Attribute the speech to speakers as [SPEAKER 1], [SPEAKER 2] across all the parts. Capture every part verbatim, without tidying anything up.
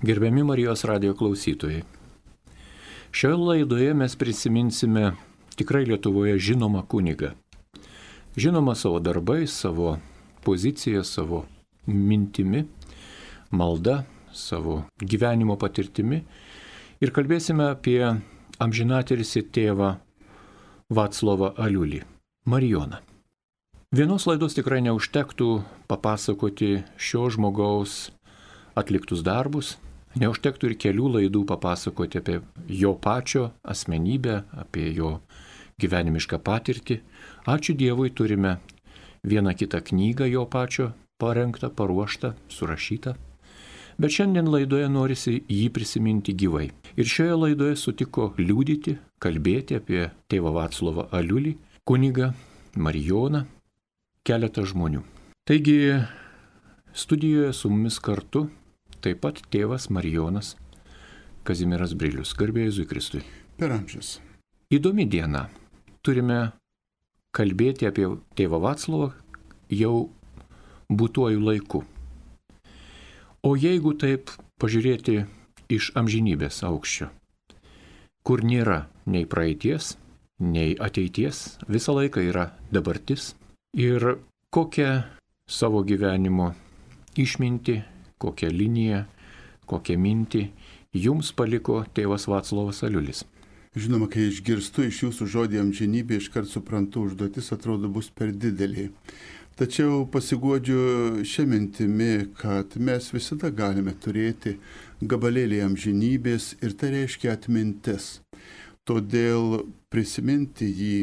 [SPEAKER 1] Gerbiami Marijos radijo klausytojai, šioje laidoje mes prisiminsime tikrai Lietuvoje žinomą kunigą. Žinomą savo darbais, savo pozicija, savo mintimi, malda, savo gyvenimo patirtimi ir kalbėsime apie amžinatilsį tėvą Vaclovą Aliulį, Marijoną. Vienos laidos tikrai neužtektų papasakoti šio žmogaus atliktus darbus, neužtektų ir kelių laidų papasakoti apie jo pačio asmenybę, apie jo gyvenimišką patirtį. Ačiū Dievui, turime vieną kitą knygą jo pačio parengtą, paruoštą, surašytą. Bet šiandien laidoje norisi jį prisiminti gyvai. Ir šioje laidoje sutiko liudyti, kalbėti apie tėvą Vaclovą Aliulį, kunigą Marijoną, keletą žmonių. Taigi studijoje su mumis kartu taip pat tėvas Marijonas Kazimieras Brilius. Garbė Jėzui Kristui.
[SPEAKER 2] Per amžius.
[SPEAKER 1] Įdomi diena. Turime kalbėti apie tėvą Vaclovą jau būtuoju laiku. O jeigu taip pažiūrėti iš amžinybės aukščio, kur nėra nei praeities, nei ateities, visą laiką yra dabartis. Ir kokią savo gyvenimo išmintį, kokią liniją, kokią mintį jums paliko tėvas Vaclovas Aliulis?
[SPEAKER 2] Žinoma, kai išgirstu iš jūsų žodį amžinybė, iškart suprantu, užduotis atrodo bus per didelė. Tačiau pasiguodžiu šią mintimį, kad mes visada galime turėti gabalėlį amžinybės ir tai reiškia atmintis. Todėl prisiminti jį,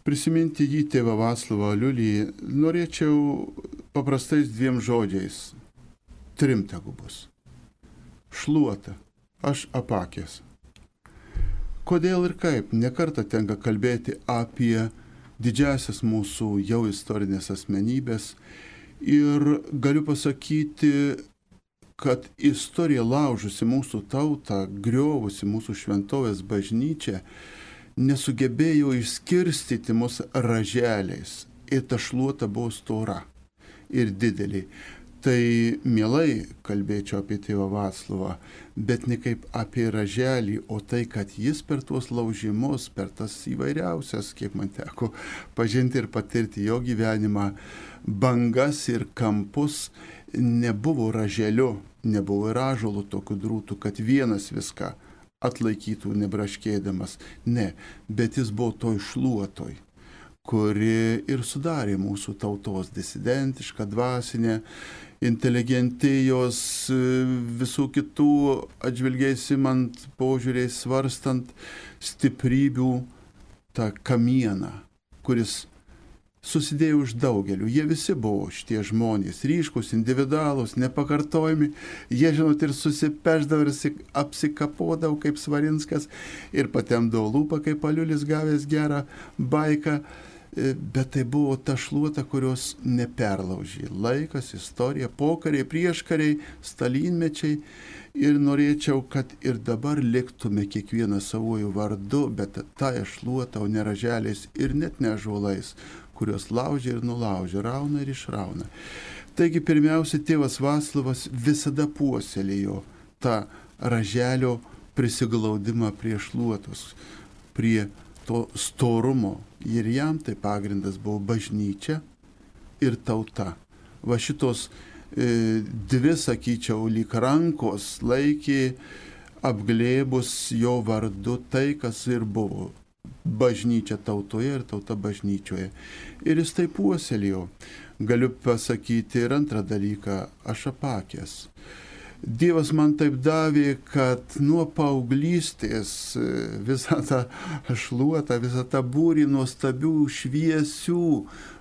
[SPEAKER 2] prisiminti jį tėvą Vaclovą Aliulį norėčiau paprastais dviem žodžiais. Trim tegu bus. Šluota, aš apakęs. Kodėl ir kaip? Nekartą tenka kalbėti apie didžiasias mūsų jau istorinės asmenybės ir galiu pasakyti, kad istorija laužusi mūsų tautą, griovusi mūsų šventovės bažnyčią, nesugebėjo išskirstyti mus raželiais ir ta šluota buvo stora ir didelė. Tai mielai kalbėčiau apie tėvą Vaclovą, bet ne kaip apie raželį, o tai, kad jis per tuos laužimus, per tas įvairiausias, kiek man teko pažinti ir patirti jo gyvenimą, bangas ir kampus, nebuvo raželiu, nebuvo ir ąžuolų tokių drūtų, kad vienas viską atlaikytų nebraškėdamas. Ne, bet jis buvo toj šluotoj, kuri ir sudarė mūsų tautos disidentišką, dvasinę, inteligentijos, visų kitų atžvilgiais imant, požiūriais svarstant stiprybių tą kamieną, kuris susidėjo iš daugelių. Jie visi buvo šitie žmonės, ryškus, individualūs, nepakartojami. Jie, žinot, ir susipeždavo ir apsikapodavo kaip Svarinskas ir patemdavo lūpą kaip Aliulis gavęs gerą baiką. Bet tai buvo ta šluota, kurios neperlaužė. Laikas, istorija, pokariai, prieškariai, stalinmečiai. Ir norėčiau, kad ir dabar liktume kiekvieną savojų vardu, bet tąją šluotą, o ne raželiais ir net ne ąžuolais, kurios laužia ir nulaužia, rauna ir išrauna. Taigi pirmiausia, tėvas Vaclovas visada puoselėjo tą raželio prisiglaudimą prie šluotos, prie to storumo. Ir jam tai pagrindas buvo bažnyčia ir tauta. Va šitos e, dvi, sakyčiau, lyg rankos laikė apglėbus jo vardu tai, kas ir buvo. Bažnyčia tautoje ir tauta bažnyčioje. Ir jis tai puoselėjo. Galiu pasakyti ir antrą dalyką, aš apakęs. Dievas man taip davė, kad nuo paauglystės visą tą šluotą, visą tą būrį nuostabių, šviesių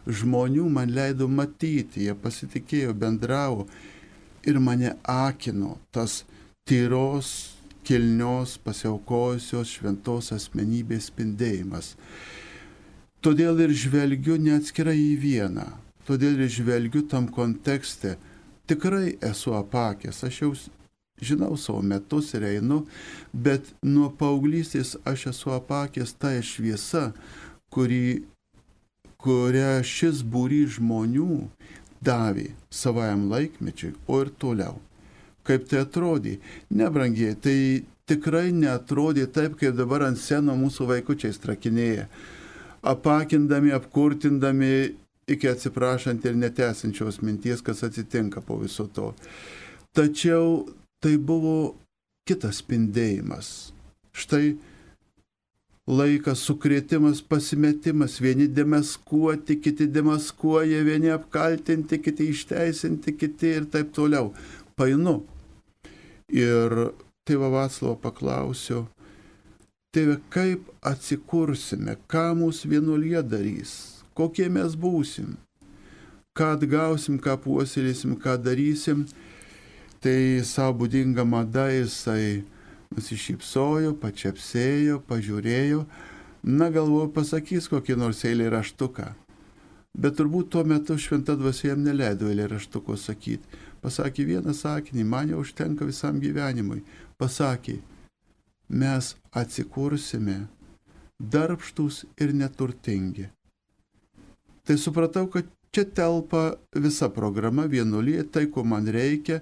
[SPEAKER 2] žmonių man leido matyti. Jie pasitikėjo, bendravo ir mane akino tas tyros, kilnios, pasiaukojusios šventos asmenybės spindėjimas. Todėl ir žvelgiu neatskirai į vieną. Todėl ir žvelgiu tam kontekste. Tikrai esu apakęs, aš jau žinau savo metus ir einu, bet nuo paauglystės aš esu apakęs tą šviesą, kuri, kurią šis būrys žmonių davė savajam laikmečiui, o ir toliau. kaip tai atrodė. Nebrangiai, tai tikrai neatrodė taip, kaip dabar ant seno mūsų vaikučiai strakinėja. Apakindami, apkurtindami iki atsiprašant ir netęsinčios minties, kas atsitinka po viso to. Tačiau tai buvo kitas spindėjimas. Štai laikas, sukrėtimas, pasimetimas, vieni demaskuoti, kiti demaskuoja, vieni apkaltinti, kiti išteisinti, kiti ir taip toliau. Painu. Ir tėvą Vaclavą paklausiau, tėve, kaip atsikursime, ką mūsų vienuolija darys, kokie mes būsim, ką atgausim, ką puoselėsim, ką darysim. Tai savo būdinga mada jisai nusišypsojo, pačiapsėjo, pažiūrėjo, na galvoju, pasakys kokį nors eilėraštuką. Bet turbūt tuo metu šventa dvasia jam neleido eilėraštuko sakyti. Pasakė vieną sakinį, man jau užtenka visam gyvenimui. Pasakė, mes atsikursime darbštus ir neturtingi. Tai supratau, kad čia telpa visa programa vienuolija, tai ko man reikia.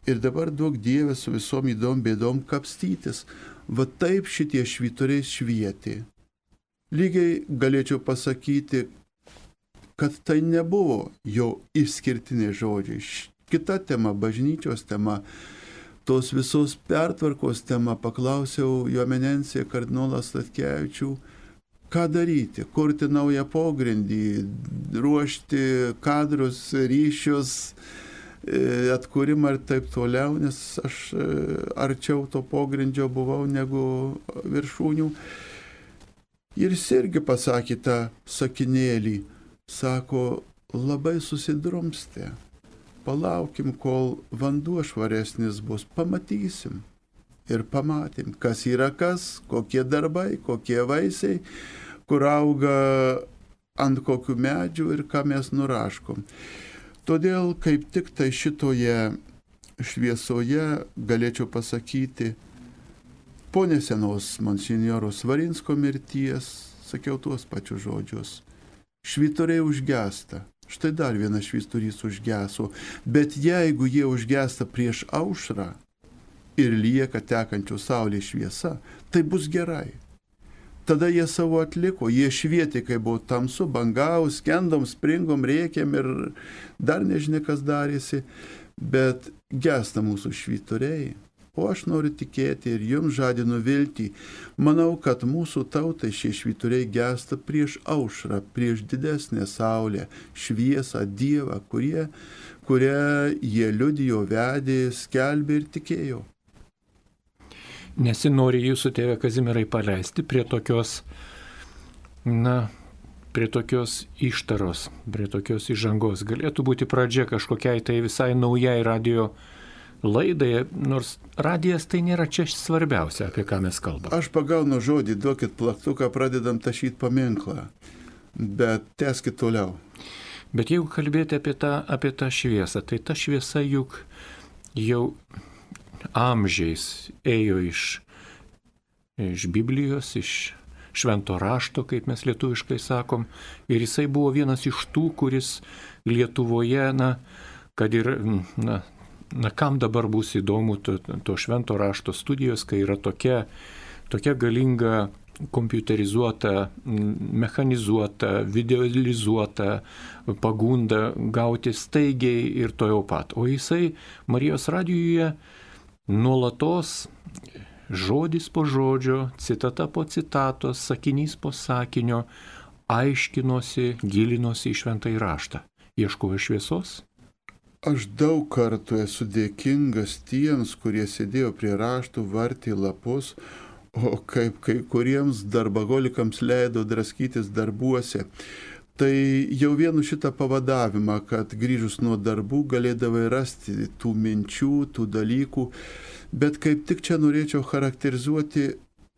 [SPEAKER 2] Ir dabar duok Dieve su visom įdom bėdom kapstytis. Va taip šitie švyturiai švietė. Lygiai galėčiau pasakyti, kad tai nebuvo jo išskirtiniai žodžiai. Kita tema, bažnyčios tema, tos visos pertvarkos tema, paklausiau jo eminencija kardinolą Statkevičių, ką daryti, kurti naują pogrindį, ruošti kadrus, ryšius, atkūrimą ir taip toliau, nes aš arčiau to pogrindžio buvau negu viršūnių. Ir jis irgi pasakė tą sakinėlį, sako, labai susidrumstė, palaukim, kol vanduo švaresnis bus, pamatysim. Ir pamatėm, kas yra kas, kokie darbai, kokie vaisiai, kur auga ant kokių medžių ir ką mes nuraškom. Todėl kaip tik tai šitoje šviesoje galėčiau pasakyti, po nesenos monsinjoro Svarinsko mirties, sakiau tuos pačius žodžius, švyturiai užgesta. Štai dar vienas švyturys užgeso, bet jeigu jie užgesta prieš aušrą ir lieka tekančių saulės šviesa, tai bus gerai. Tada jie savo atliko, jie švietė, kai buvo tamsu, bangaus, skendom, springom, rėkėm ir dar nežinia, kas darėsi, bet gesta mūsų švyturiai. O aš noriu tikėti ir jums žadinu viltį. Manau, kad mūsų tautai šie švyturiai gesta prieš aušrą, prieš didesnę saulę, šviesą, Dievą, kurie, kurią jie liudijo, vedė, skelbė ir tikėjo.
[SPEAKER 1] Nesinori jūsų, tėve Kazimierai, paleisti prie tokios, na, prie tokios ištaros, prie tokios įžangos. Galėtų būti pradžia kažkokiai tai visai naujai radio laidai, nors radijas tai nėra čia svarbiausia, apie ką mes kalbame.
[SPEAKER 2] Aš pagaunu žodį, duokit plaktuką, pradedam tašyti paminklą, bet tęskit toliau.
[SPEAKER 1] Bet jeigu kalbėti apie tą, apie tą šviesą, tai ta šviesa juk jau amžiais ėjo iš, iš Biblijos, iš švento rašto, kaip mes lietuviškai sakom, ir jisai buvo vienas iš tų, kuris Lietuvoje, na, kad ir, na, na kam dabar bus įdomu to, to švento rašto studijos, kai yra tokia, tokia galinga kompiuterizuota, mechanizuota, videolizuota pagunda gauti staigiai ir to jau pat. O jisai Marijos radijuje nuolatos žodis po žodžio, citata po citatos, sakinys po sakinio aiškinosi, gilinosi į šventąjį raštą. Ieškojo šviesos?
[SPEAKER 2] Aš daug kartų esu dėkingas tiems, kurie sėdėjo prie raštų, vartė lapus, o kaip kai kuriems darbagolikams leido draskytis darbuose. Tai jau vienu šitą pavadavimą, kad grįžus nuo darbų galėdavai rasti tų minčių, tų dalykų, bet kaip tik čia norėčiau charakterizuoti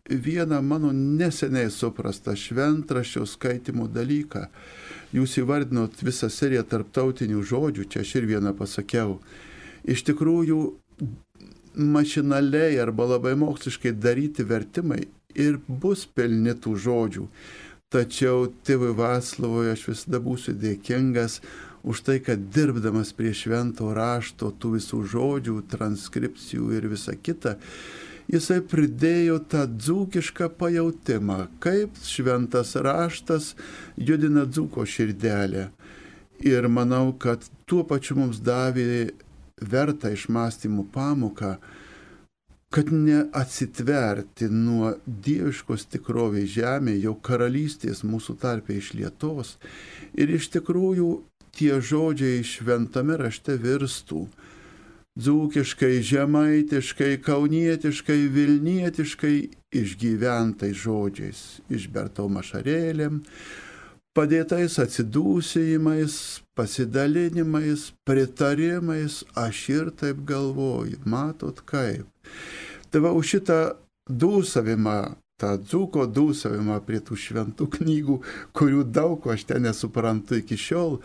[SPEAKER 2] vieną mano neseniai suprastą šventraščio skaitimo dalyką. Jūs įvardinot visą seriją tarptautinių žodžių, čia aš ir vieną pasakiau. Iš tikrųjų, mašinaliai arba labai moksliškai daryti vertimai ir bus pilni tų žodžių. Tačiau tėvui Vaclavui aš visada būsiu dėkingas už tai, kad dirbdamas prie švento rašto, tų visų žodžių, transkripcijų ir visa kita, jisai pridėjo tą dzūkišką pajautimą, kaip šventas raštas judina dzūko širdelę. Ir manau, kad tuo pačiu mums davė vertą išmąstymų pamoką, kad neatsitverti nuo dieviškos tikrovės žemėje, jau karalystės mūsų tarpe išlietos. Ir iš tikrųjų tie žodžiai šventame rašte virstų dzūkiškai, žemaitiškai, kaunietiškai, vilnietiškai išgyventais žodžiais, išbertom ašarėlėm, padėtais atsidūsėjimais, pasidalinimais, pritarimais, aš ir taip galvoju, matot kaip. Tai va, už šitą dūsavimą, tą dzūko dūsavimą prie tų šventų knygų, kurių daug ko aš ten nesuprantu iki šiol,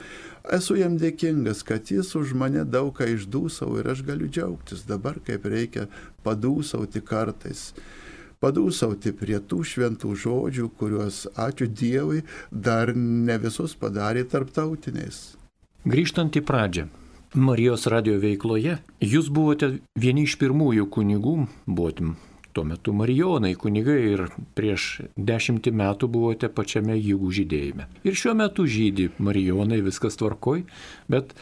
[SPEAKER 2] esu jam dėkingas, kad jis už mane daug ką išdūsavo ir aš galiu džiaugtis dabar, kaip reikia padūsauti kartais. Padūsauti prie tų šventų žodžių, kuriuos, ačiū Dievui, dar ne visus padarė tarptautiniais.
[SPEAKER 1] Grįžtant į pradžią, Marijos radijo veikloje, jūs buvote vieni iš pirmųjų kunigų, buvote tuo metu marijonai kunigai ir prieš dešimtį metų buvote pačiame jėgų žydėjime. Ir šiuo metu žydi marijonai, viskas tvarkoj, bet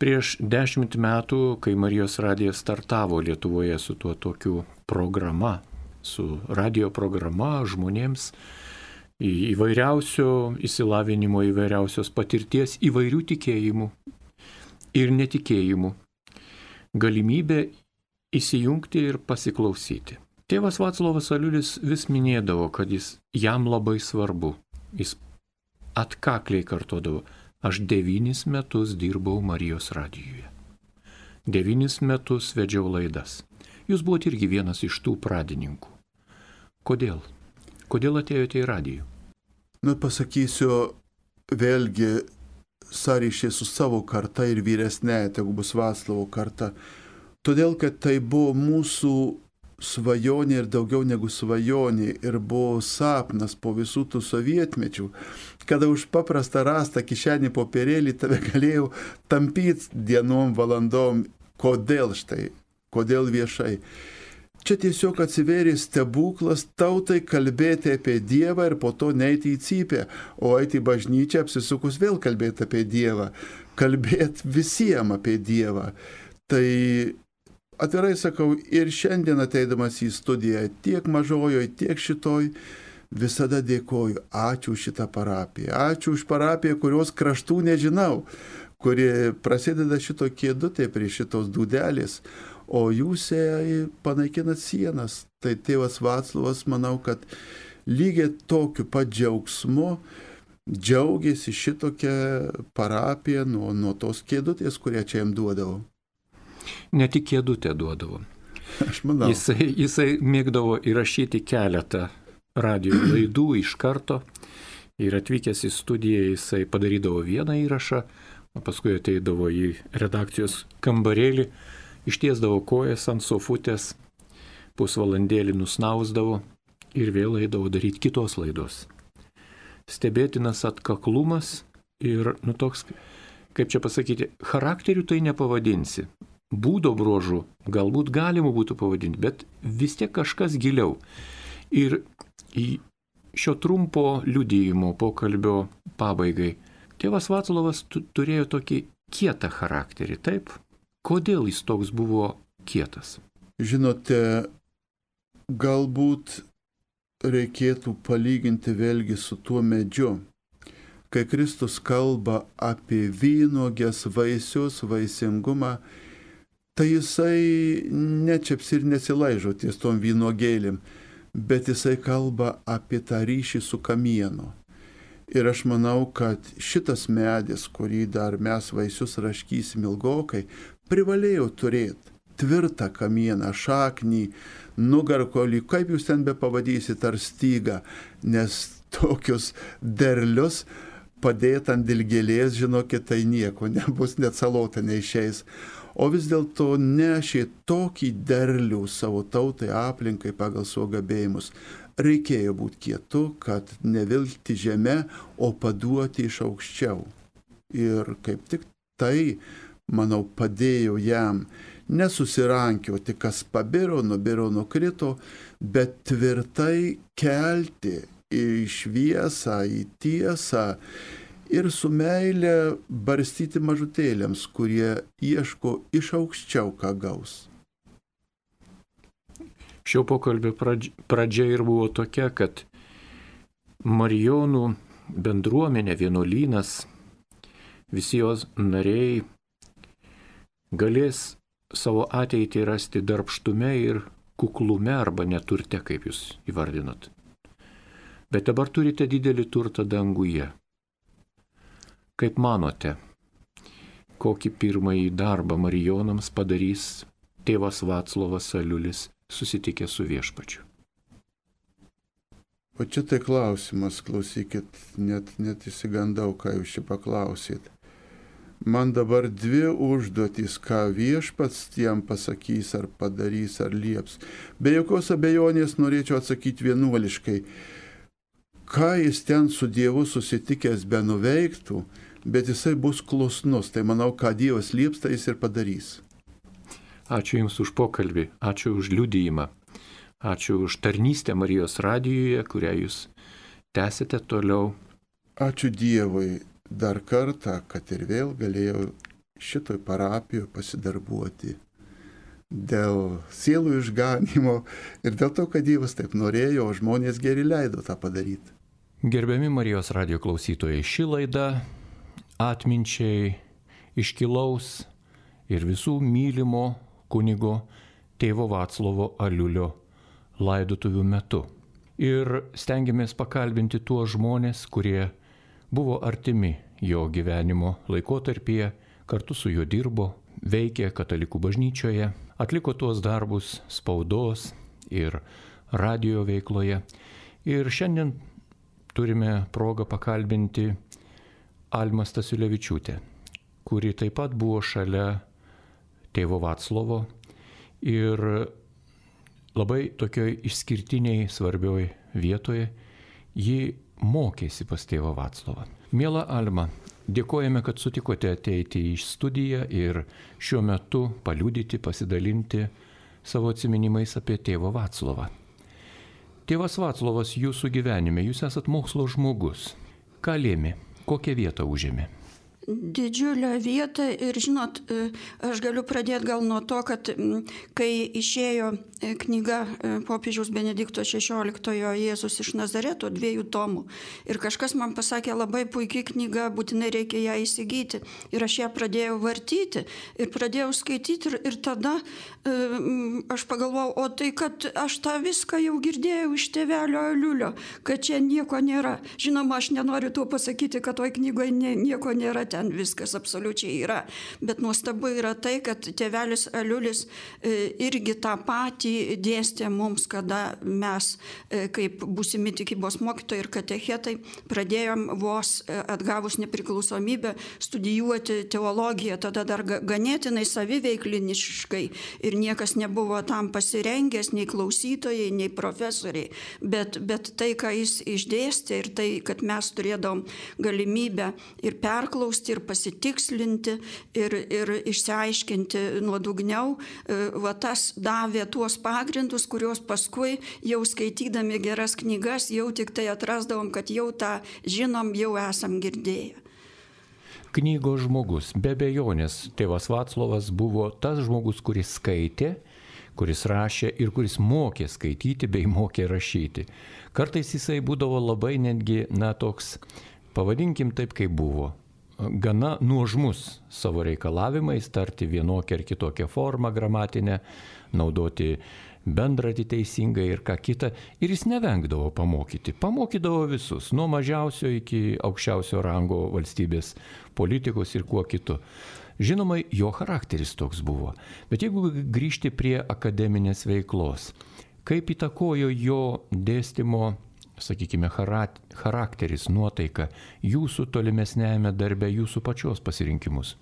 [SPEAKER 1] prieš dešimt metų, kai Marijos radijas startavo Lietuvoje su tuo tokiu programa, su radio programa žmonėms įvairiausio įsilavinimo, įvairiausios patirties, įvairių tikėjimų ir netikėjimų, galimybė įsijungti ir pasiklausyti. Tėvas Vaclovas Aliulis vis minėdavo, kad jis jam labai svarbu. Jis atkakliai kartodavo, aš devynis metus dirbau Marijos radijuje. Devynis metus vedžiau laidas. Jūs buvote irgi vienas iš tų pradininkų. Kodėl? Kodėl atėjote į radijų?
[SPEAKER 2] Nu, pasakysiu vėlgi sąryšį su savo karta ir vyresnėje, tegu bus Vaclovo karta. Todėl, kad tai buvo mūsų svajonė ir daugiau negu svajonė ir buvo sapnas po visų tų sovietmečių, kada už paprastą rastą kišenį popierėlį tave galėjau tampyti dienom, valandom. Kodėl štai? Kodėl viešai? Čia tiesiog atsivėrė stebuklas tautai kalbėti apie Dievą ir po to neiti į cypę, o eiti į bažnyčią apsisukus vėl kalbėti apie Dievą, kalbėti visiems apie Dievą. Tai atvirai sakau, ir šiandien ateidamas į studiją, tiek mažojoj, tiek šitoj, visada dėkoju, ačiū už šitą parapiją, ačiū už parapiją, kurios kraštų nežinau, kuri prasideda šito kėdutė prie šitos dūdelės, o jūs panaikinat sienas. Tai tėvas Vaclovas, manau, kad lygiai tokiu pat džiaugsmu džiaugiasi šitokią parapiją nuo, nuo tos kėdutės, kurią čia jam duodavo.
[SPEAKER 1] Ne tik kėdutę duodavo.
[SPEAKER 2] Aš manau.
[SPEAKER 1] Jisai, jisai mėgdavo įrašyti keletą radio laidų iš karto ir atvykęs į studiją jisai padarydavo vieną įrašą, o paskui ateidavo į redakcijos kambarėlį, ištiesdavo kojas ant sofutės, pusvalandėlį nusnausdavo ir vėl eidavo daryti kitos laidos. Stebėtinas atkaklumas ir, nu toks, kaip čia pasakyti, charakterių tai nepavadinsi. Būdo bruožų galbūt galima būtų pavadinti, bet vis tiek kažkas giliau. Ir į šio trumpo liudijimo pokalbio pabaigai tėvas Vaclovas turėjo tokį kietą charakterį, taip? Kodėl jis toks buvo kietas?
[SPEAKER 2] Žinote, galbūt reikėtų palyginti vėlgi su tuo medžiu. Kai Kristus kalba apie vynuogės, vaisius, vaisingumą, tai jisai nečiaps ir nesilaižo ties tom vynuogėlėm, bet jisai kalba apie tą ryšį su kamienu. Ir aš manau, kad šitas medis, kurį dar mes vaisius raškysim ilgokai, privalėjo turėti tvirtą kamieną, šaknį, nugarkolį, kaip jūs ten be pavadysit, ar stygą, nes tokius derlius padėt ant dilgėlės, žinokit, tai nieko nebus, net salota neišeis. O vis dėlto nešė tokį derlių savo tautai, aplinkai pagal savo gabėjimus. Reikėjo būti kietu, kad nevilkti žemę, o paduoti iš aukščiau. Ir kaip tik tai, manau, padėjo jam nesusirankioti, kas pabiro, nubiro, nukrito, bet tvirtai kelti į šviesą, į tiesą ir su meile barstyti mažutėliams, kurie ieško iš aukščiau, ką gaus.
[SPEAKER 1] Šio pokalbio pradžia ir buvo tokia, kad Marijonų bendruomenė, vienuolynas, visi jos nariai galės savo ateitį rasti darbštume ir kuklume arba neturte, kaip jūs įvardinot. Bet dabar turite didelį turtą danguje. Kaip manote, kokį pirmąjį darbą Marijonams padarys tėvas Vaclovas Aliulis susitikęs su Viešpačiu?
[SPEAKER 2] O čia tai klausimas, klausykit, net, net įsigandau, ką jūs čia paklausyt. Man dabar dvi užduotys, ką Viešpats tiem pasakys, ar padarys, ar lieps. Be jokios abejonės norėčiau atsakyti vienuoliškai. Ką jis ten su Dievu susitikęs be nuveiktų, bet jisai bus klusnus. Tai manau, ką Dievas lieps, tai jis ir padarys.
[SPEAKER 1] Ačiū Jums už pokalbį, ačiū už liudijimą, ačiū už tarnystę Marijos radijuje, kurią Jūs tęsite toliau.
[SPEAKER 2] Ačiū Dievui dar kartą, kad ir vėl galėjau šitoj parapijoje pasidarbuoti dėl sielų išganimo ir dėl to, kad Dievas taip norėjo, o žmonės geri leido tą padaryti.
[SPEAKER 1] Gerbiami Marijos radijo klausytojai, ši laida atminčiai iškilaus ir visų mylimo kunigo tėvo Vaclovo Aliulio laidotuvių metu. Ir stengiamės pakalbinti tuos žmonės, kurie buvo artimi jo gyvenimo laikotarpyje, kartu su juo dirbo, veikė katalikų bažnyčioje, atliko tuos darbus spaudos ir radijo veikloje. Ir šiandien turime progą pakalbinti Almą Stasiulevičiūtę, kuri taip pat buvo šalia tėvo Vaclovo ir labai tokioj išskirtiniai svarbioj vietoje ji mokėsi pas tėvą Vaclovą. Miela Alma, dėkojame, kad sutikote ateiti į studiją ir šiuo metu paliudyti, pasidalinti savo atsiminimais apie tėvą Vaclovą. Tėvas Vaclovas jūsų gyvenime, jūs esat mokslo žmogus. Ką lėmė? Kokią vietą užėmė?
[SPEAKER 3] Didžiulę vietą ir žinot, aš galiu pradėti gal nuo to, kad kai išėjo knyga popiežiaus Benedikto šešioliktojo Jėzus iš Nazareto, dviejų tomų, ir kažkas man pasakė, labai puikiai knyga, būtinai reikia ją įsigyti, ir aš ją pradėjau vartyti ir pradėjau skaityti ir, ir tada aš pagalvojau, o tai, kad aš tą viską jau girdėjau iš tėvelio Aliulio, kad čia nieko nėra. Žinoma, aš nenoriu tuo pasakyti, kad toj knygoje nieko nėra, ten viskas absoliučiai yra. Bet nuostabu yra tai, kad tėvelis Aliulis irgi tą patį dėstė mums, kada mes, kaip būsimi tikybos mokytojai ir katechetai, pradėjom vos atgavus nepriklausomybę studijuoti teologiją, tada dar ganėtinai saviveikliniškai ir niekas nebuvo tam pasirengęs, nei klausytojai, nei profesoriai. Bet, bet tai, ką jis išdėstė ir tai, kad mes turėdom galimybę ir perklausti, ir pasitikslinti, ir, ir išsiaiškinti nuodugniau, va tas davė tuos pagrindus, kuriuos paskui jau skaitydami geras knygas, jau tik tai atrasdavom, kad jau tą žinom, jau esam girdėję.
[SPEAKER 1] Knygos žmogus, be abejonės, tėvas Vaclovas buvo tas žmogus, kuris skaitė, kuris rašė ir kuris mokė skaityti bei mokė rašyti. Kartais jisai būdavo labai netgi, na, toks, pavadinkim taip, kaip buvo, gana nuožmus savo reikalavimais, tarti vienokią ar kitokią formą gramatinę, naudoti bendratį teisingai ir ką kitą. Ir jis nevengdavo pamokyti. Pamokydavo visus, nuo mažiausio iki aukščiausio rango valstybės politikos ir kuo kitu. Žinoma, jo charakteris toks buvo. Bet jeigu grįžti prie akademinės veiklos, kaip įtakojo jo dėstymo, sakykime, charakteris, nuotaika, jūsų tolimesnėjame darbe, jūsų pačios pasirinkimus?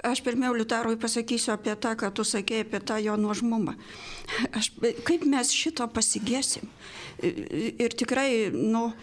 [SPEAKER 3] Aš pirmiau Liutarui pasakysiu apie tą, ką tu sakėjai, apie tą jo nuožmumą. Aš, kaip mes šito pasigėsim? Ir tikrai, nu,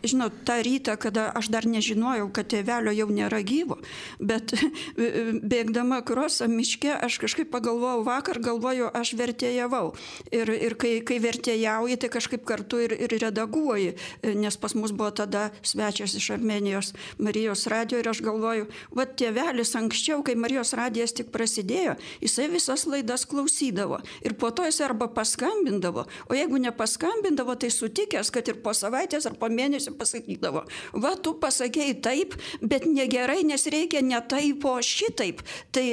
[SPEAKER 3] žinot, tą rytą, kada aš dar nežinojau, kad tėvelio jau nėra gyvo, bet bėgdama krosą miške, aš kažkaip pagalvojau, vakar galvoju, aš vertėjavau. Ir, ir kai, kai vertėjauji, tai kažkaip kartu ir, ir redaguoji, nes pas mus buvo tada svečias iš Armėnijos Marijos radijo ir aš galvoju, va tėvelis anksčiau, kai Marijos radijas tik prasidėjo, jisai visas laidas klausydavo ir po to jis arba paskambindavo, o jeigu nepaskambindavo, tai sutikęs, kad ir po savaitės ar po mėnesio pasakydavo, va tu pasakėjai taip, bet negerai, nes reikia ne taip, o šitaip. Tai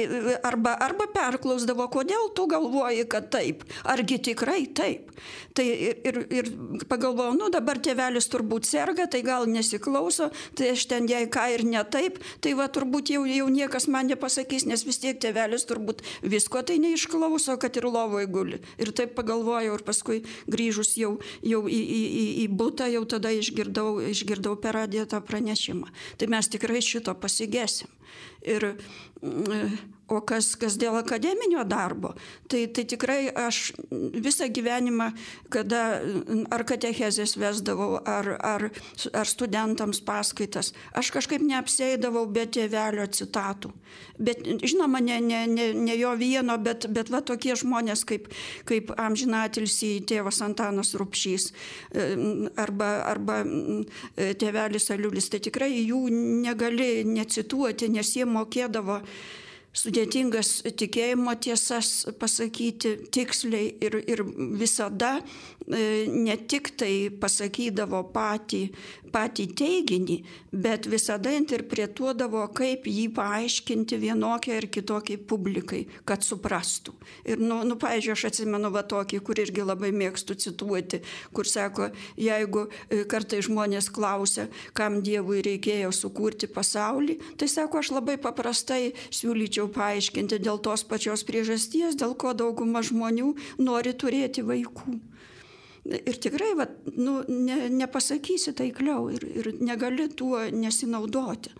[SPEAKER 3] arba, arba perklausdavo, kodėl tu galvoji, kad taip, argi tikrai taip. Tai ir, ir, ir pagalvojau, nu dabar tėvelis turbūt serga, tai gal nesiklauso, tai aš ten jai ką ir ne taip, tai va turbūt jau, jau niekas man nepasakys, nes vis tiek tėvelis turbūt visko tai neišklauso, kad ir lovoje guli. Ir taip pagalvojau ir paskui grįžus jau, jau į, į, į, į butą, jau tada išgirdau, išgirdau per radiją tą pranešimą. Tai mes tikrai šito pasigėsim. Ir o kas, kas dėl akademinio darbo, tai, tai tikrai aš visą gyvenimą, kada ar katechezės vesdavau, ar, ar, ar studentams paskaitas, aš kažkaip neapsėdavau be tėvelio citatų. Bet žinoma, ne, ne, ne, ne jo vieno, bet, bet va tokie žmonės kaip, kaip amžinatilsį tėvas Antanas Rupšys arba, arba tėvelis Aliulis, tai tikrai jų negali necituoti, nes jie mokėdavo sudėtingas tikėjimo tiesas pasakyti tiksliai ir, ir visada ne tik tai pasakydavo patį, patį teiginį, bet visada interpretuodavo, kaip jį paaiškinti vienokiai ar kitokiai publikai, kad suprastų. Ir, nu, nu pavyzdžiui, aš atsimenu va tokį, kur irgi labai mėgstu cituoti, kur sako, jeigu kartai žmonės klausia, kam Dievui reikėjo sukurti pasaulį, tai sako, aš labai paprastai siūlyčiau paaiškinti dėl tos pačios priežasties, dėl ko dauguma žmonių nori turėti vaikų. Ir tikrai, va, nu, ne, nepasakysi taikliau ir, ir negali tuo nesinaudoti.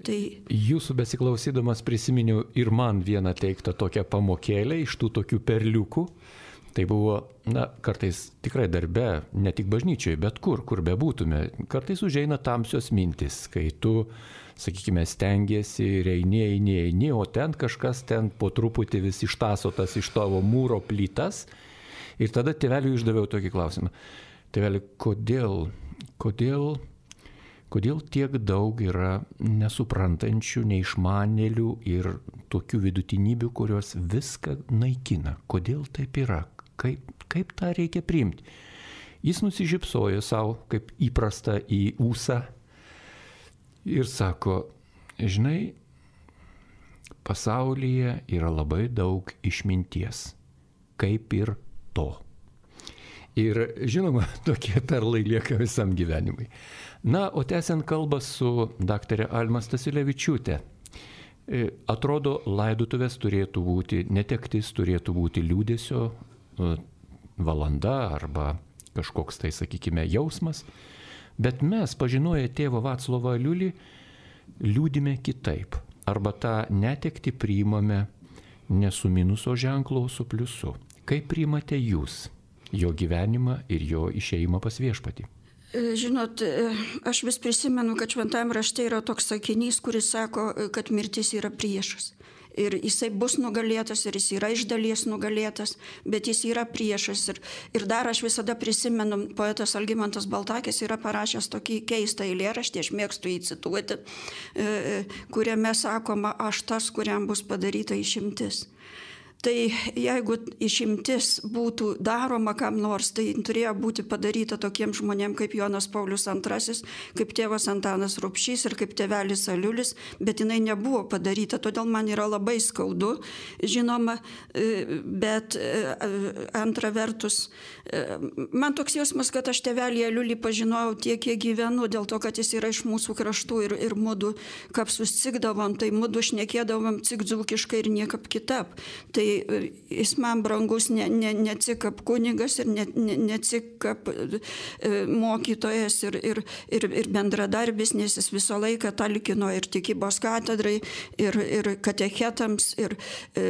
[SPEAKER 3] Tai...
[SPEAKER 1] Jūsų besiklausydamas prisiminiau ir man vieną teiktą tokią pamokėlę iš tų tokių perliukų. Tai buvo, na, kartais tikrai darbe, ne tik bažnyčioje, bet kur, kur bebūtume. Kartais užeina tamsios mintis, kai tu, sakykime, stengiesi ir eini, eini, eini, o ten kažkas ten po truputį vis ištasotas iš tavo mūro plytas. Ir tada tėveliui išdaviau tokį klausimą. Tėveli, kodėl, kodėl, kodėl tiek daug yra nesuprantančių, neišmanėlių ir tokių vidutinybių, kurios viską naikina? Kodėl taip yra? Kaip, kaip tą reikia priimti? Jis nusižypsojo savo, kaip įprasta, į ūsą ir sako, žinai, pasaulyje yra labai daug išminties, kaip ir to. Ir žinoma, tokie perlai lieka visam gyvenimui. Na, o tęsiant kalbą su daktarė Alma Stasiulevičiūtė. Atrodo, laidotuvės turėtų būti, netektis turėtų būti liūdesio valanda arba kažkoks tai, sakykime, jausmas. Bet mes, pažinoję tėvą Vaclovą Aliulį, liūdime kitaip. Arba tą netektį priimame ne su minuso ženklu, o su pliusu. Kaip priimate jūs jo gyvenimą ir jo išėjimą pas viešpatį?
[SPEAKER 3] Žinot, aš vis prisimenu, kad šventajame rašte yra toks sakinys, kuris sako, kad mirtis yra priešas. Ir jisai bus nugalėtas, ir jis yra iš dalies nugalėtas, bet jis yra priešas. Ir, ir dar aš visada prisimenu, poetas Algimantas Baltakis yra parašęs tokį keistą eilėraštį, aš mėgstu jį cituoti, kuriame sakoma, aš tas, kuriam bus padaryta išimtis. Tai jeigu išimtis būtų daroma kam nors, tai turėjo būti padaryta tokiems žmonėms kaip Jonas Paulius antrasis, kaip tėvas Antanas Rupšys ir kaip tėvelis Aliulis, bet jinai nebuvo padaryta, todėl man yra labai skaudu, žinoma, bet antra vertus, man toks jausmas, kad aš tėvelį Aliulį pažinojau tiek, kiek gyvenu, dėl to, kad jis yra iš mūsų kraštų ir, ir mudu kapsus cikdavom, tai mudu šnekėdavom cik dzūkiškai ir niekaip kitap. Tai jis man brangus ne, ne, ne tik kaip kunigas ir ne, ne, ne tik kaip mokytojas ir, ir, ir, ir bendradarbis, nes jis visą laiką talkino ir tikybos katedrai, ir, ir katechetams, ir e,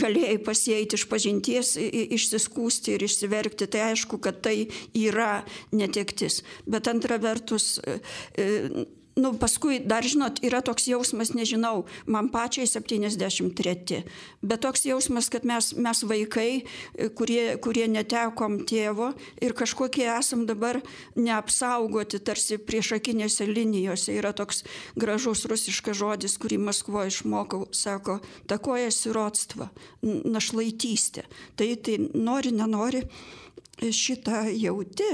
[SPEAKER 3] galėjai pasieiti iš pažinties, išsiskūsti ir išsiverkti. Tai aišku, kad tai yra netektis. Bet antra vertus, e, nu, paskui dar, žinot, yra toks jausmas, nežinau, man pačiai septyniasdešimt treti, bet toks jausmas, kad mes, mes vaikai, kurie, kurie netekom tėvo ir kažkokie esam dabar neapsaugoti, tarsi priešakinėse linijose. Yra toks gražus rusiškas žodis, kurį Maskvoje išmokau, sako, takoja sirodstva, našlaitystė. Tai, tai nori, nenori, šitą jauti.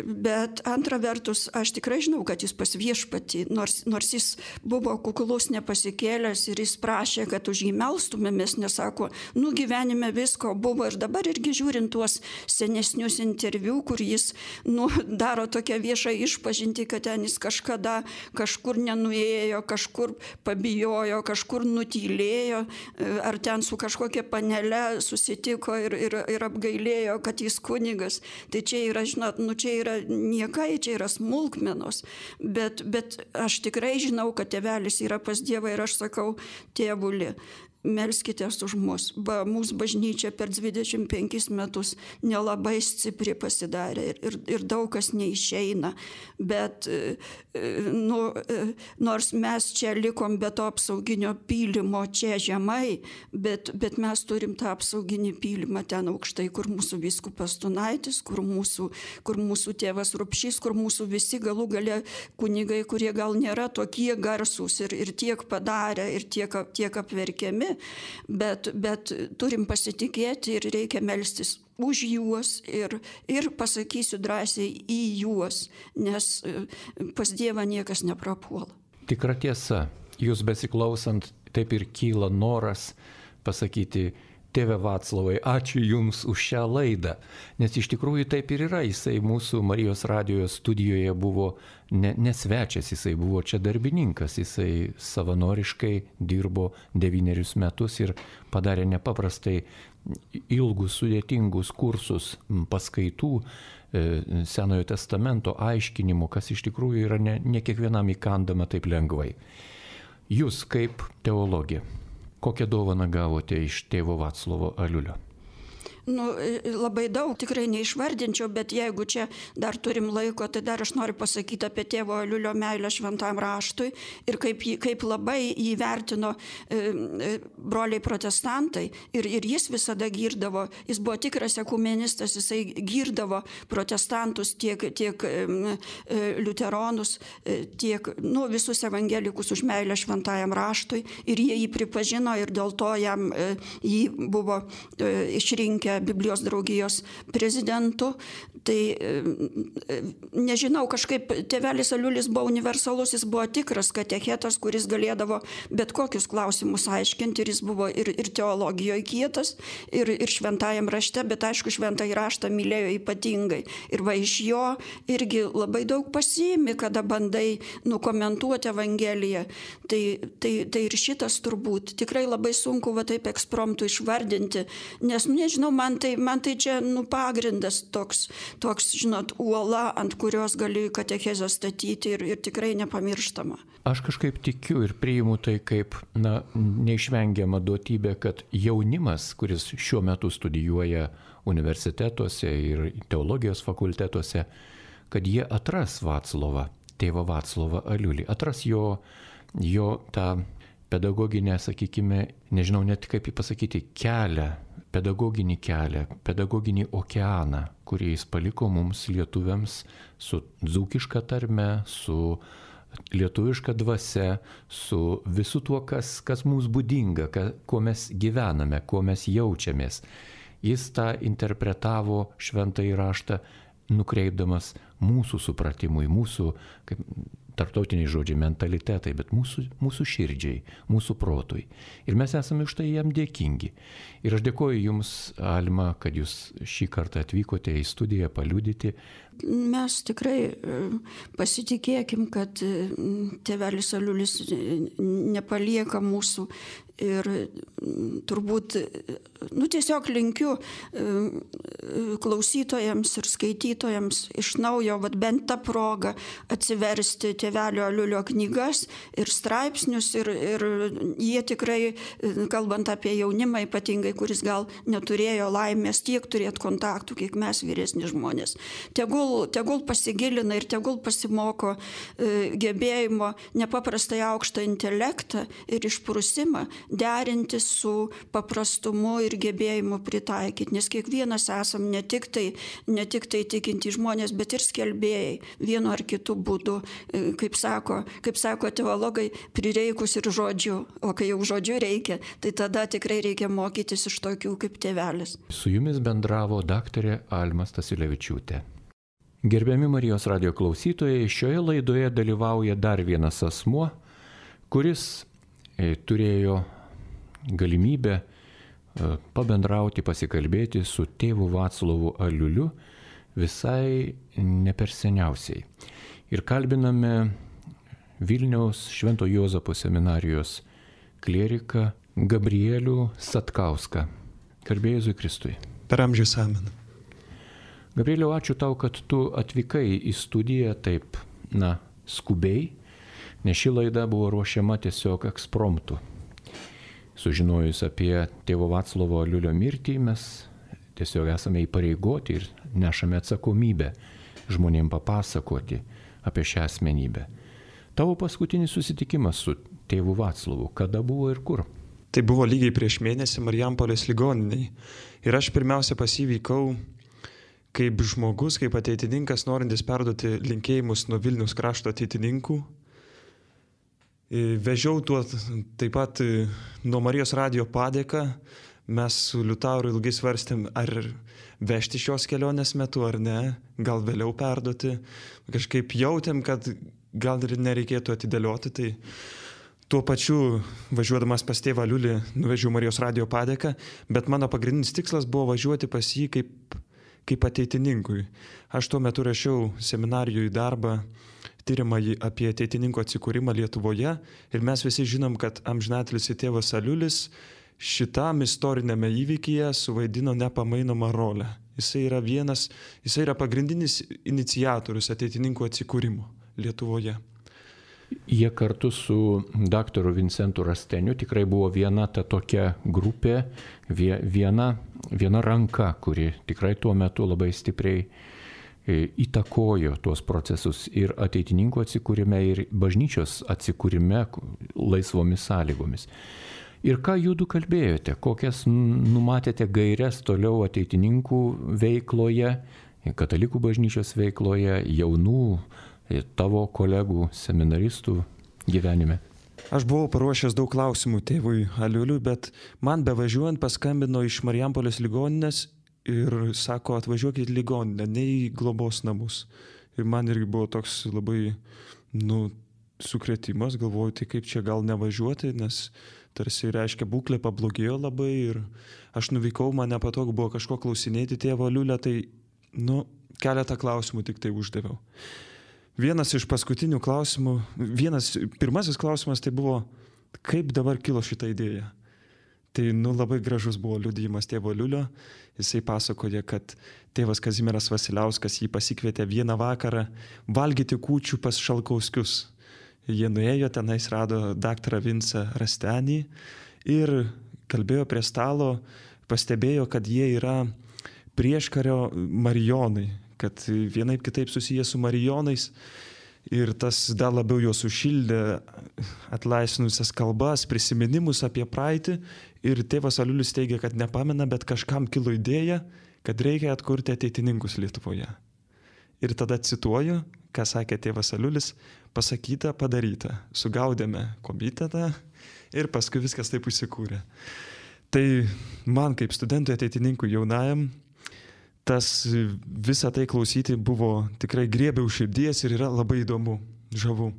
[SPEAKER 3] Bet antra vertus, aš tikrai žinau, kad jis pas viešpatį, nors, nors jis buvo kuklus, nepasikėlęs ir jis prašė, kad už jį melstumėmės, nesako, nu gyvenime visko buvo. Ir dabar irgi žiūrint tuos senesnius interviu, kur jis nu, daro tokią viešą išpažintį, kad ten jis kažkada kažkur nenuėjo, kažkur pabijojo, kažkur nutylėjo, ar ten su kažkokia panele susitiko ir, ir, ir apgailėjo, kad jis kunigas. Tai čia yra, žinot, nu čia yra niekai, čia yra smulkmenos, bet, bet aš tikrai žinau, kad tėvelis yra pas Dievą ir aš sakau, tėvuli, melskitės už mus. Ba, mūsų bažnyčia per dvidešimt penkis metus nelabai stipri pasidarė ir, ir, ir daug kas neišeina, bet nu, nors mes čia likom be to apsauginio pylimo čia žemai, bet, bet mes turim tą apsauginį pylimą ten aukštai, kur mūsų vyskupas Tunaitis, kur mūsų, kur mūsų tėvas Rupšys, kur mūsų visi galų gale kunigai, kurie gal nėra tokie garsūs ir, ir tiek padarę, ir tiek, tiek apverkiami, Bet, bet turim pasitikėti ir reikia melstis už juos ir, ir pasakysiu drąsiai į juos, nes pas Dievą niekas neprapuola.
[SPEAKER 1] Tikra tiesa, jūs besiklausant, taip ir kyla noras pasakyti, tėve Vaclavai, ačiū Jums už šią laidą, nes iš tikrųjų taip ir yra, jisai mūsų Marijos radijo studijoje buvo ne, ne svečias, jisai buvo čia darbininkas, jisai savanoriškai dirbo devynerius metus ir padarė nepaprastai ilgus, sudėtingus kursus paskaitų Senojo testamento aiškinimų, kas iš tikrųjų yra ne, ne kiekvienam įkandama taip lengvai. Jūs kaip teologė, kokią dovaną gavote iš tėvo Vaclovo Aliulio?
[SPEAKER 3] Nu, labai daug, tikrai neišvardinčiau, bet jeigu čia dar turim laiko, tai dar aš noriu pasakyti apie tėvo Aliulio meilę šventam raštui ir kaip, kaip labai jį vertino e, e, broliai protestantai ir, ir jis visada girdavo, jis buvo tikras ekumenistas, jisai girdavo protestantus tiek, tiek e, liuteronus, e, tiek nu, visus evangelikus už meilę šventajam raštui ir jie jį pripažino ir dėl to jam e, jį buvo e, išrinkę Biblijos draugijos prezidentu. Tai nežinau, kažkaip tėvelis Aliulis buvo universalus, jis buvo tikras katechetas, kuris galėdavo bet kokius klausimus aiškinti ir jis buvo ir, ir teologijoje kietas, ir, ir šventajam rašte, bet aišku, šventąjį raštą mylėjo ypatingai. Ir va iš jo irgi labai daug pasiimi, kada bandai nukomentuoti Evangeliją. Tai, tai, tai ir šitas turbūt tikrai labai sunku va taip ekspromtu išvardinti, nes, nežinau, man tai, man tai čia nu, pagrindas toks, toks, žinot, uola, ant kurios gali katechezę statyti ir, ir tikrai nepamirštama.
[SPEAKER 1] Aš kažkaip tikiu ir priimu tai kaip na, neišvengiama duotybė, kad jaunimas, kuris šiuo metu studijuoja universitetuose ir teologijos fakultetuose, kad jie atras Vaclovą, tėvą Vaclovą Aliulį, atras jo, jo tą pedagoginę, sakykime, nežinau net kaip jį pasakyti, kelią, pedagoginį kelią, pedagoginį okeaną, kurį jis paliko mums lietuviams su dzūkiška tarme, su lietuviška dvasia, su visu tuo, kas, kas mums būdinga, ka, kuo mes gyvename, kuo mes jaučiamės. Jis tą interpretavo šventąjį raštą, nukreipdamas mūsų supratimui, mūsų kaip, tarptautiniai žodžiai, mentalitetai, bet mūsų, mūsų širdžiai, mūsų protui. Ir mes esame už tai jam dėkingi. Ir aš dėkoju Jums, Alma, kad Jūs šį kartą atvykote į studiją paliudyti.
[SPEAKER 3] Mes tikrai pasitikėkim, kad tėvelis Aliulis nepalieka mūsų ir turbūt, nu tiesiog linkiu klausytojams ir skaitytojams iš naujo, vat bent tą progą atsiversti tėvelio Aliulio knygas ir straipsnius ir, ir jie tikrai, kalbant apie jaunimą ypatingai, kuris gal neturėjo laimės tiek turėti kontaktų, kiek mes vyresni žmonės. Tegul, tegul pasigilina ir tegul pasimoko e, gebėjimo nepaprastai aukštą intelektą ir išprusimą derinti su paprastumu ir gebėjimu pritaikyti, nes kiekvienas esam ne tik tai, ne tik tai tikinti žmonės, bet ir skelbėjai vienu ar kitu būdu, kaip sako, kaip sako teologai, prireikus ir žodžiu, o kai jau žodžiu reikia, tai tada tikrai reikia mokytis iš tokių kaip tėvelis.
[SPEAKER 1] Su Jumis bendravo daktarė Alma Stasiulevičiūtė. Gerbiami Marijos radijo klausytojai, šioje laidoje dalyvauja dar vienas asmuo, kuris e, turėjo galimybę pabendrauti, pasikalbėti su tėvu Vaclovu Aliuliu visai ne per seniausiai. Ir kalbiname Vilniaus Švento Juozapo seminarijos klieriką Gabrielių Satkauską. Garbė Jėzui Kristui.
[SPEAKER 4] Per amžius amen.
[SPEAKER 1] Gabrieliau, ačiū tau, kad tu atvykai į studiją taip, na, skubiai, nes ši laida buvo ruošiama tiesiog ekspromtu. Sužinojus apie tėvo Vaclovo Aliulio mirtį, mes tiesiog esame įpareigoti ir nešame atsakomybę žmonėms papasakoti apie šią asmenybę. Tavo paskutinis susitikimas su tėvu Vaclovu, kada buvo ir kur?
[SPEAKER 4] Tai buvo lygiai prieš mėnesį Marijampolės ligoniniai. Ir aš pirmiausia pas jį vykau kaip žmogus, kaip ateitininkas, norintis perduoti linkėjimus nuo Vilniaus krašto ateitininkų. Vežiau tuo taip pat nuo Marijos radijo padėką. Mes su Liutauru ilgai svarstėm, ar vežti šios kelionės metu ar ne, gal vėliau perduoti. Kažkaip jautėm, kad gal ir nereikėtų atidėlioti. Tai tuo pačiu, važiuodamas pas tėvą Aliulį, nuvežiau Marijos radijo padėką, bet mano pagrindinis tikslas buvo važiuoti pas jį kaip, kaip ateitininkui. Aš tuo metu rašiau seminarijoje darbą, tyrimąjį apie ateitininkų atsikūrimą Lietuvoje ir mes visi žinom, kad amžinatilsį tėvas Aliulis šitam istorinėme įvykyje suvaidino nepamainomą rolę. Jisai yra vienas, jisai yra pagrindinis iniciatorius ateitininkų atsikūrimo Lietuvoje.
[SPEAKER 1] Jie kartu su daktaru Vincentu Rasteniu tikrai buvo viena ta tokia grupė, viena, viena ranka, kuri tikrai tuo metu labai stipriai įtakojo tuos procesus ir ateitininkų atsikūrime, ir bažnyčios atsikūrime laisvomis sąlygomis. Ir ką jūdu kalbėjote, kokias numatėte gaires toliau ateitininkų veikloje, katalikų bažnyčios veikloje, jaunų tavo kolegų, seminaristų gyvenime?
[SPEAKER 4] Aš buvau paruošęs daug klausimų tėvui Aliuliui, bet man bevažiuojant paskambino iš Marijampolės ligoninės ir sako, atvažiuokit į ligoninę, ne į globos namus. Ir man irgi buvo toks labai, nu, sukrėtimas, galvoju, tai kaip čia gal nevažiuoti, nes tarsi reiškia būklė pablogėjo labai ir aš nuvykau, man nepatogu buvo kažko klausinėti tėvo Aliulio, tai, nu, keletą klausimų tik tai uždaviau. Vienas iš paskutinių klausimų, vienas, pirmasis klausimas tai buvo, kaip dabar kilo šitą idėją. Tai, nu, labai gražus buvo liudijimas tėvo Aliulio. Jisai pasakoja, kad tėvas Kazimieras Vasiliauskas jį pasikvietė vieną vakarą valgyti kūčių pas Šalkauskius. Jie nuėjo, tenais rado daktarą Vincą Rastenį ir kalbėjo prie stalo, pastebėjo, kad jie yra prieškario marijonai, kad vienaip kitaip susiję su marijonais. Ir tas dar labiau juos sušildė, atlaisvinusias kalbas, prisiminimus apie praeitį. Ir tėvas Aliulis teigia, kad nepamena, bet kažkam kilo idėja, kad reikia atkurti ateitininkus Lietuvoje. Ir tada cituoju, ką sakė tėvas Aliulis, pasakyta, padaryta. Sugaudėme komitetą ir paskui viskas taip įsikūrė. Tai man kaip studentui ateitininkui jaunajam, tas visą tai klausyti buvo tikrai griebė už širdies ir yra labai įdomu, žavu.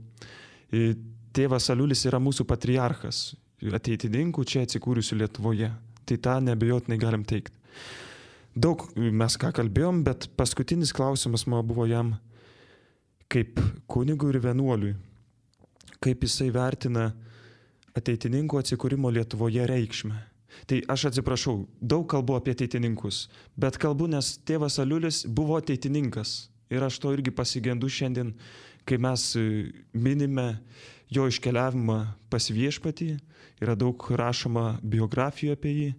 [SPEAKER 4] Tėvas Aliulis yra mūsų patriarchas, ateitininkų čia atsikūrusių Lietuvoje. Tai tą neabejotinai galim teikti. Daug mes ką kalbėjom, bet paskutinis klausimas man buvo jam kaip kunigui ir vienuoliui. Kaip jisai vertina ateitininkų atsikūrimo Lietuvoje reikšmę. Tai aš atsiprašau, daug kalbu apie ateitininkus, bet kalbu, nes tėvas Aliulis buvo ateitininkas. Ir aš to irgi pasigendu šiandien, kai mes minime jo iškeliavimą pas viešpatį. Yra daug rašoma biografijų apie jį.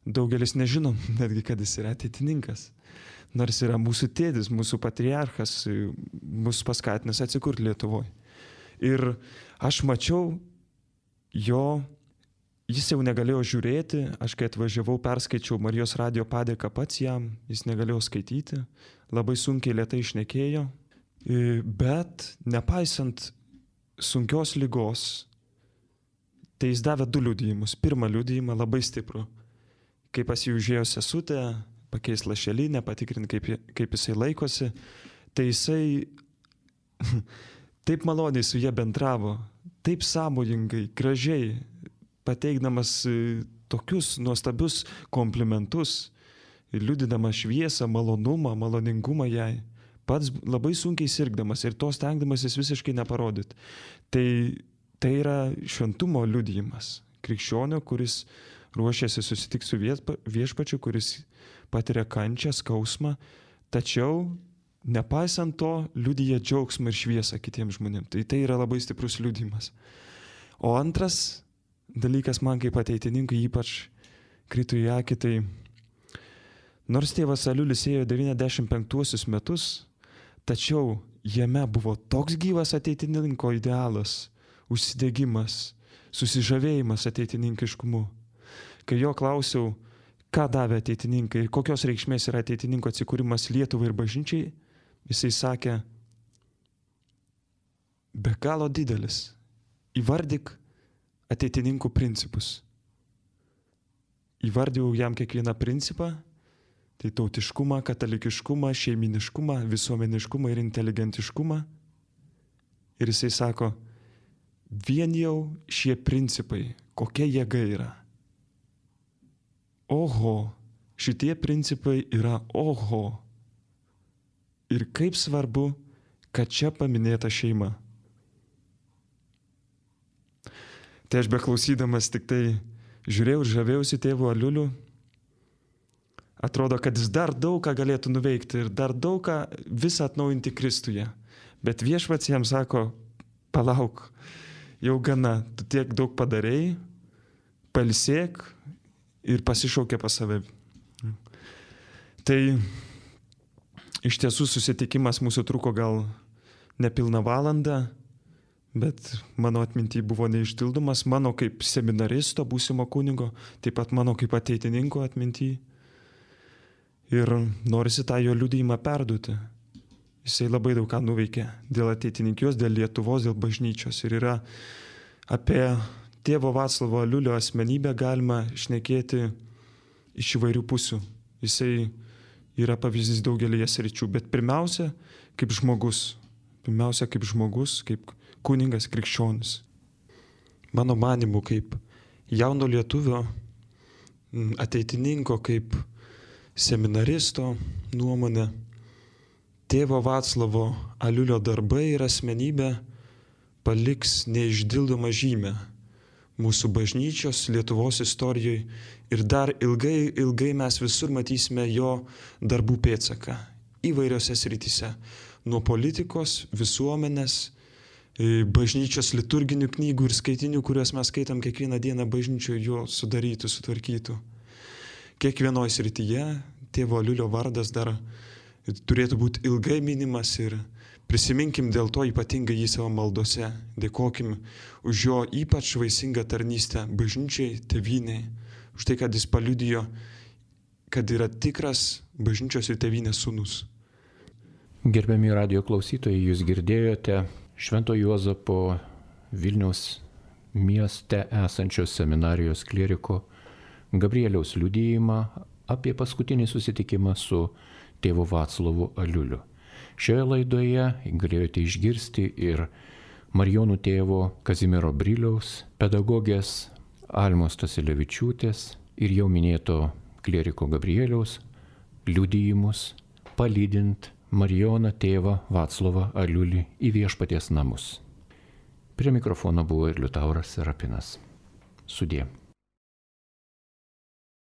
[SPEAKER 4] Daugelis nežinom netgi, kad jis yra ateitininkas. Nors yra mūsų tėdis, mūsų patriarchas, mūsų paskatinęs atsikurti Lietuvoje. Ir aš mačiau jo, jis jau negalėjo žiūrėti, aš kai atvažiavau, perskaičiau Marijos radijo padėką pats jam, jis negalėjo skaityti, labai sunkiai lėtai šnekėjo, bet nepaisant sunkios ligos, tai jis davė du liudijimus. Pirmą liudijimą labai stiprų, kai pas jį užėjo sesutė, pakeis lašelinę, patikrinti, kaip, kaip jisai laikosi, tai jisai taip maloniai su jie bendravo, taip sąmojingai, gražiai, pateikdamas tokius nuostabius komplimentus ir liudydamas šviesą, malonumą, maloningumą jai, pats labai sunkiai sirgdamas ir to stengdamasis visiškai neparodyti. Tai, tai yra šventumo liudijimas krikščionio, kuris ruošiasi susitikti su viešpačiu, kuris patiria kančią, skausmą, tačiau nepaisant to liudija džiaugsmą ir šviesą kitiems žmonėms. Tai tai yra labai stiprus liudijimas. O antras dalykas man kaip ateitininkui ypač krito į akį, tai nors tėvas Aliulis ėjo devyniasdešimt penktuosius metus, tačiau jame buvo toks gyvas ateitininko idealas, užsidegimas, susižavėjimas ateitininkiškumu. Kai jo klausiau, ką davė ateitininkai ir kokios reikšmės yra ateitininko atsikūrimas Lietuvai ir bažnyčiai, jisai sakė, be galo didelis, įvardyk ateitininkų principus. Įvardėjau jam kiekvieną principą, tai tautiškumą, katalikiškumą, šeiminiškumą, visuomeniškumą ir inteligentiškumą. Ir jisai sako, vien jau šie principai, kokia jėga yra. Oho, šitie principai yra oho. Ir kaip svarbu, kad čia paminėta šeima. Tai aš beklausydamas tik tai žiūrėjau ir žavėjausi tėvu Aliuliu. Atrodo, kad jis dar daug ką galėtų nuveikti ir dar daug ką visą atnaujinti Kristuje. Bet viešpats jam sako, palauk, jau gana, tu tiek daug padarėjai, pailsėk ir pasišaukė pas save. Tai iš tiesų susitikimas mūsų truko gal nepilną valandą, bet mano atminty buvo neišdildomas, mano kaip seminaristo, būsimo kunigo, taip pat mano kaip ateitininko atminty. Ir norisi tą jo liudijimą perduoti. Jisai labai daug ką nuveikė dėl ateitininkijos, dėl Lietuvos, dėl bažnyčios. Ir yra apie tėvo Vaclavo Aliulio asmenybę galima šnekėti iš įvairių pusių. Jisai yra pavyzdys daugelėje sričių, bet pirmiausia, kaip žmogus. Pirmiausia, kaip žmogus, kaip kuningas krikščionis. Mano manimu, kaip jauno lietuvio, ateitininko, kaip seminaristo nuomonė, tėvo Vaclavo Aliulio darbai ir asmenybė paliks neišdildomą žymę mūsų bažnyčios Lietuvos istorijoje ir dar ilgai, ilgai mes visur matysime jo darbų pėdsaką įvairiose srityse. Nuo politikos, visuomenės, bažnyčios liturginių knygų ir skaitinių, kuriuos mes skaitam kiekvieną dieną bažnyčioje, jo sudarytų, sutvarkytų. Kiekvienoje srityje tėvo Aliulio vardas dar turėtų būti ilgai minimas ir prisiminkim dėl to ypatingai jį savo maldose. Dėkokim už jo ypač vaisingą tarnystę bažnyčiai, tėvynei, už tai, kad jis paliudijo, kad yra tikras bažnyčios ir tėvynės sūnus.
[SPEAKER 1] Gerbiami radijo klausytojai, jūs girdėjote Švento Juozapo Vilniaus mieste esančios seminarijos klieriko Gabrieliaus liudijimą apie paskutinį susitikimą su tėvu Vaclavu Aliuliu. Šioje laidoje galėjote išgirsti ir Marijonų tėvo Kazimiero Briliaus, pedagogės Almos Stasilevičiūtės ir jau minėto klieriko Gabrieliaus liudijimus, palydint Marijoną tėvą Vaclovą Aliulį į Viešpaties namus. Prie mikrofono buvo ir Liutauras Serapinas. Sudie.